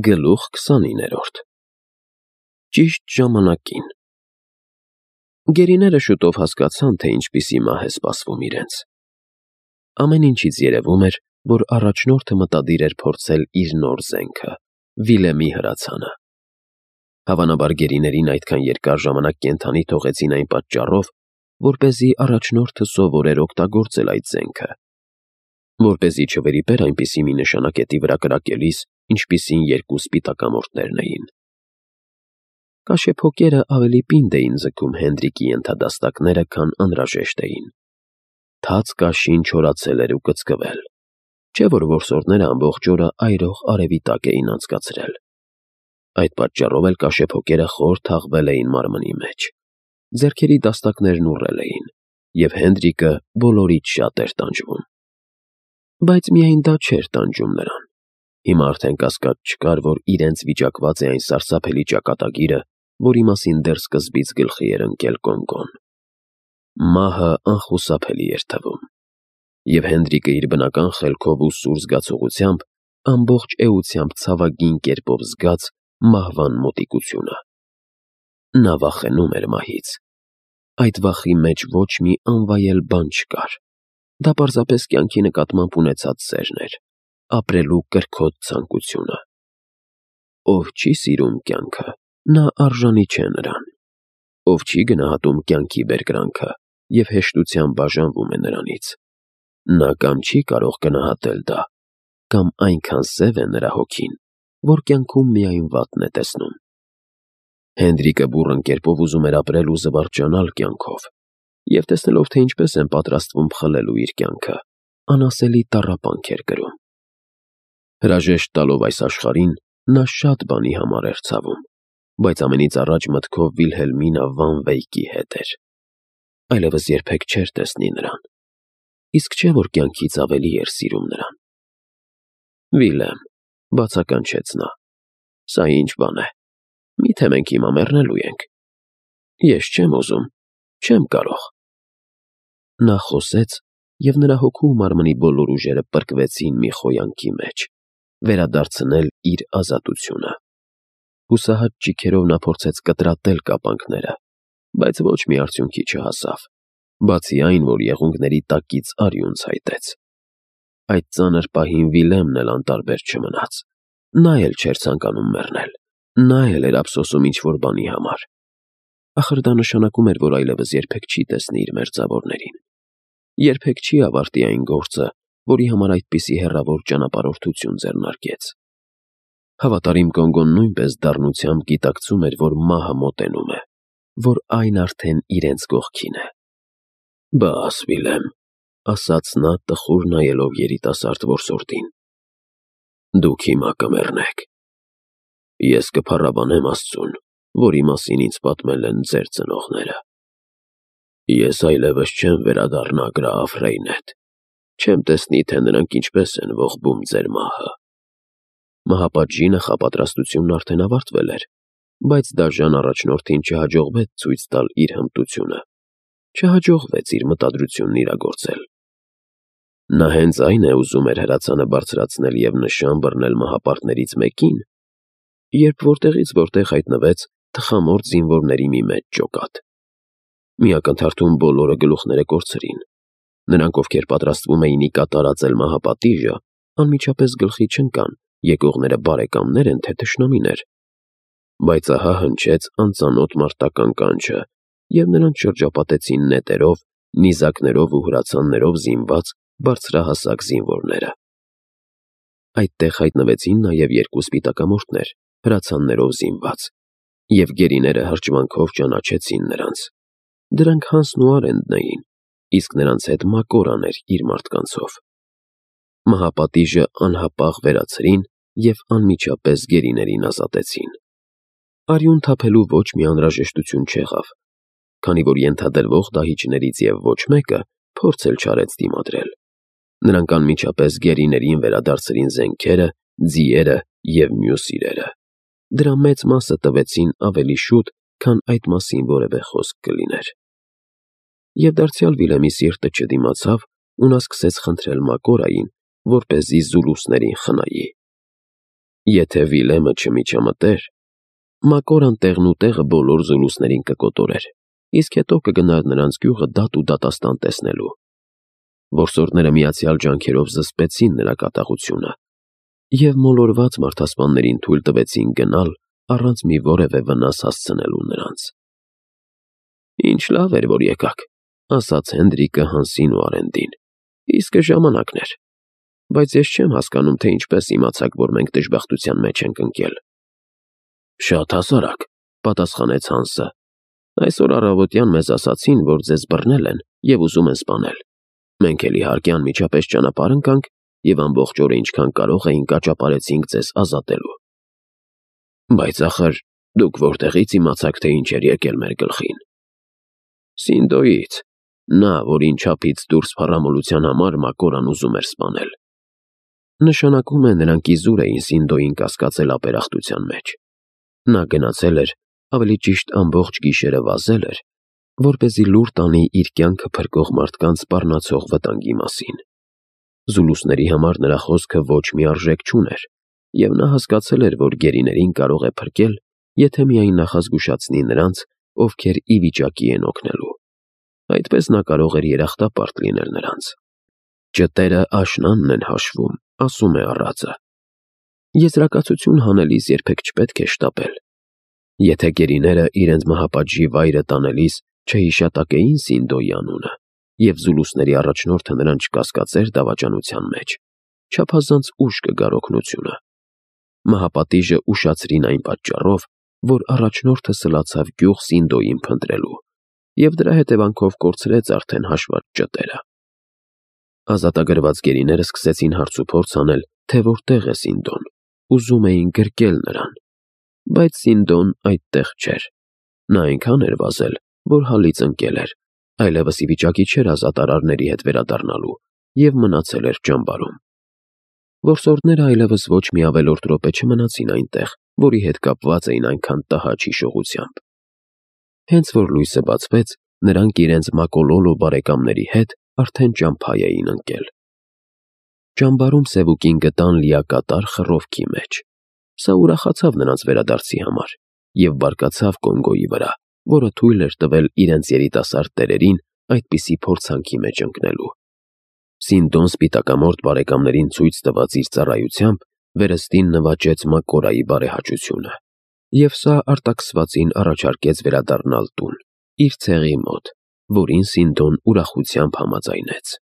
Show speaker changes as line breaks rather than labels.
Գլուխ 29-րդ Ճիշտ ժամանակին Գերիները շուտով հասկացան, թե ինչպիսի մահ է սպասվում իրենց։ Ամեն ինչից երևում էր, որ առաջնորդը մտադիր էր փորձել իր նոր զենքը՝ Վիլեմի հրացանը։ Հավանաբար գերիներին այդքան երկար ժամանակ կենդանի թողեցին այն պատճառով, որպեսզի առաջնորդը սովորեր օգտագործել այդ զենքը, որպեսզի չվրիպեր այնպիսի մի նշանակետի վրա կրակելիս, ինչպիսին երկու սպիտակամորթներն էին։ Կաշեփոկերը ավելի պինդ էին ձգում Հենդրիկի ենթադաստակները, քան անհրաժեշտ էին։ Թաց կաշին չորացել էր ու կծկվել, չէ՞ որ որսորդները ամբողջ օրը այրող արևի տակ էին անցկացրել։ Այդ պատճառով էլ կաշեփոկերը խոր թաղվել էին մարմնի մեջ, ձեռքերի դաստակներն ուռել էին, և Հենդրիկը բոլորից շատ էր տանջվում։ Բայց միայն դա չէր տանջում նրան։ Հիմա արդեն կասկած չկար, որ իրենց վիճակված է այն սարսափելի ճակատագիրը, որի մասին դեռ սկզբից գլխի էր ընկել Կոն-Կոն։ Մահը անխուսափելի էր թվում, և Հենդրիկը իր բնական խելքով ու սուր զգացողությամբ ամբողջ էությամբ ցավագին կերպով զգաց մահվան մոտիկությունը։ Նա վախենում էր մահից։ Այդ վախի մեջ ոչ մի անվայել բան չկար։ Դա պարզապես կյանքի նկատմամբ ունեցած սերն էր, ապրելու կրքոտ ցանկությունը։ Ով չի սիրում կյանքը, նա արժանի չէ նրան։ Ով չի գնահատում կյանքի բերկրանքը և հեշտությամբ բաժանվում է նրանից, նա կամ չի կարող գնահատել դա, կամ այնքան սև է նրա հոգին, որ կյանքում միայն վատն է տեսնում։ Հենդրիկը բուռն կերպով ուզում էր ապրել ու զվարճանալ կյանքով, և տեսնելով, թե ինչպես են պատրաստվում խլելու իր կյանքը, անասելի տառապանք էր կրում։ Հրաժեշտ տալով այս աշխարհին, նա շատ բանի համար էր ցավում, բայց ամենից առաջ մտքով Վիլհելմինա վան Վեյկի հետ էր։ Այլևս երբեք չէր տեսնի նրան, իսկ չէ՞ որ կյանքից ավելի էր սիրում նրան։ Վիլեմ, բացականչեց նա, սա ինչ բան է, միթե մենք հիմա մեռնելու ենք։ Ես չեմ ուզում, չեմ կարող։ Նա խոսեց, և նրա հոգու ու մարմնի բոլոր ուժերը պրկվեցին մի խոյանքի մեջ, վերադարձնել իր ազատությունը։ Հուսահատ ճիգերով նա փորձեց կտրատել կապանքները, բայց ոչ մի արդյունքի չհասավ, բացի այն, որ եղունգների տակից արյուն ցայտեց։ Այդ ծանր պահին Վիլեմն էլ անտարբեր չմնաց։ Նա էլ չէր ցանկանում մեռնել, նա էլ էր ափսոսում ինչ-որ բանի համար։ Ախր դա նշանակում էր, որ այլևս երբեք չի տեսնի իր մերձավորներին։ Երբեք չի ավարտի այն գործը, որի համար այդպիսի հեռավոր ճանապարհորդություն ձեռնարկեց։ Հավատարիմ Կոն-Կոն նույնպես դառնությամբ գիտակցում էր, որ մահը մոտենում է, որ այն արդեն իրենց կողքին է։ «Բաս, Վիլեմ», ասաց նա, տխուր նայելով երիտասարդ որսորդին, «դուք հիմա կմեռնեք։ Ես կփառաբանեմ Աստծուն, որի մասին ինձ պատմել են ձեր ծնողները։ Ես այլևս չեմ վերադառնա գրաֆ Ռեյնետ, չեմ տեսնի, թե նրանք ինչպես են ողբում ձեր մահը»։ Մահապատժի նախապատրաստությունն արդեն ավարտվել էր, բայց դաժան առաջնորդին չհաջողվեց ցույց տալ իր հմտությունը, չհաջողվեց իր մտադրությունն իրագործել։ Նա հենց այն է ուզում էր հրացանը բարձրացնել և նշան բռնել մահապարտներից մեկին, երբ որտեղից որտեղ հայտնվեց թխամորթ զինվորների մի մեծ ջոկատ։ Մի ակնթարթում բոլորը գլուխները կորցրին։ Նրանք, ովքեր պատրաստվում էին ի կատարածել մահապատիժը, անմիջապես գլխի չընկան եկողները բարեկամներ են, թե թշնամիներ։ Բայց ահա հնչեց անծանոթ մարտական կանչը, և նրանց շրջապատեցին նետերով, նիզակներով ու հրացաններով զինված բարձրահասակ զինվորները։ Այդտեղ հայտնվեցին նաև երկու սպիտակամորթներ, հրացաններով զինված, և գերիները հրճվանքով ճանաչեցին նրանց։ Դրանք Հանսն ու Արենդն էին, իսկ նրանց հետ Մակորան էր իր մարդկանցով։ Մահապատիժը անհապաղ վերացրին և անմիջապես գերիներին ազատեցին։ Արյուն թափելու ոչ մի անհրաժեշտություն չեղավ, քանի որ ենթադրվող դահիճներից և ոչ մեկը փորձ էլ չարեց դիմադրել։ Նրանք անմիջապես գերիներին վերադարձրին զենքերը, ձիերը և մյուս իրերը։ Դրա մեծ մասը տվեցին ավելի շուտ, քան այդ մասին որևէ խոսք կլիներ։ Եվ դարձյալ Վիլեմի սիրտը չդիմացավ ու նա սկսեց խնդրել Մակորային, որպեսզի զուլուսներին խնայի։ Եթե Վիլեմը չմիջամտեր, Մակորան տեղն ու տեղը բոլոր զուլուսներին կկոտորեր, իսկ հետո կգնար նրանց գյուղը դատ ու դատաստան տեսնելու։ Որսորդները միացյալ ջանքերով զսպեցին նրա կատաղությունը և մոլորված մարդասպաններին թույլ տվեցին գնալ առանց մի որևէ վնաս հասցնելու նրանց։ «Ինչ լավ էր, որ եկաք», ասաց Հենդրիկը Հանսին ու Արենդին, «իսկը ժամանակն էր, բայց ես չեմ հասկանում, թե ինչպես իմացաք, որ մենք դժբախտության մեջ ենք ընկել»։ «Շատ հասարակ», պատասխանեց Հանսը, «այսօր առավոտյան մեզ ասացին, որ ձեզ բռնել են և ուզում են սպանել։ Մենք էլ իհարկե անմիջապես ճանապարհ ընկանք և ամբողջ օրը ինչքան կարող էինք աճապարեցինք ձեզ ազատելու»։ «Բայց ախր դուք որտեղից իմացաք, թե ինչ էր եկել մեր գլխին»։ «Սինդոյից, նա, որին չափից դուրս փառամոլության համար Մակորան ուզում էր սպանել»։ Նշանակում է նրանք իզուր էին Սինդոյին կասկածել ապերախտության մեջ։ Նա գնացել էր, ավելի ճիշտ ամբողջ գիշերը վազել էր, որպեսզի լուր տանի իր կյանքը փրկող մարդկանց սպառնացող վտանգի մասին։ Զուլուսների համար նրա խոսքը ոչ մի արժեք չուներ, և նա հասկացել էր, որ գերիներին կարող է փրկել, եթե միայն նախազգուշացնի նրանց, ովքեր ի վիճակի են օգնելու։ Այդպես նա կարող էր երախտապարտ լինել նրանց։ «Ճտերը աշնանն են հաշվում», ասում է առածը։ Եզրակացություն հանելիս երբեք չպետք է շտապել։ Եթե գերիները իրենց մահապատժի վայրը տանելիս չհիշատակեին Սինդոյի անունը, և զուլուսների առաջնորդը նրան չկասկածեր դավաճանության մեջ, չափազանց ուշ կգար օգնությունը։ Մահապատիժը ուշացրին այն պատճառով, որ առաջնորդը սլացավ գյուղ Սինդոյին փնտրելու, և դրա հետևանքով կորցրեց արդեն հաշված ճտերը։ Ազատագրված գերիները սկսեցին հարցուփորձ անել, թե որտեղ է Սինդոն, ուզում էին գրկել նրան, բայց Սինդոն այդտեղ չէր։ Նա այնքան էր վազել, որ հալից ընկել էր, այլևս ի վիճակի չէր ազատ արարների հետ վերադառնալու և մնացել էր ճամբարում։ Որսորդները այլևս ոչ մի ավելորդ րոպե չմնացին այնտեղ, որի հետ կապված էին այնքան տհաճ հիշողությամբ։ Հենց որ լույսը բացվեց, նրանք իրենց Մակոլոլո բարեկամների հետ արդեն ճամփա էին ընկել։ Ճամբարում Սևուկին գտան լիակատար խռովքի մեջ։ Սա ուրախացավ նրանց վերադարձի համար և բարկացավ Կոնգոյի վրա, որը թույլ էր տվել իրենց երիտասարդ տերերին այդպիսի փորձանքի մեջ ընկնելու։ Սինդոն սպիտակամորթ բարեկամներին ցույց տված իր ծառայությամբ վերստին նվաճեց Մակորայի բարեհաճությունը, և սա արտաքսվածին առաջարկեց վերադառնալ տուն, իր ցեղի մոտ, որին Սինդոն ուրախությամբ համաձայնեց։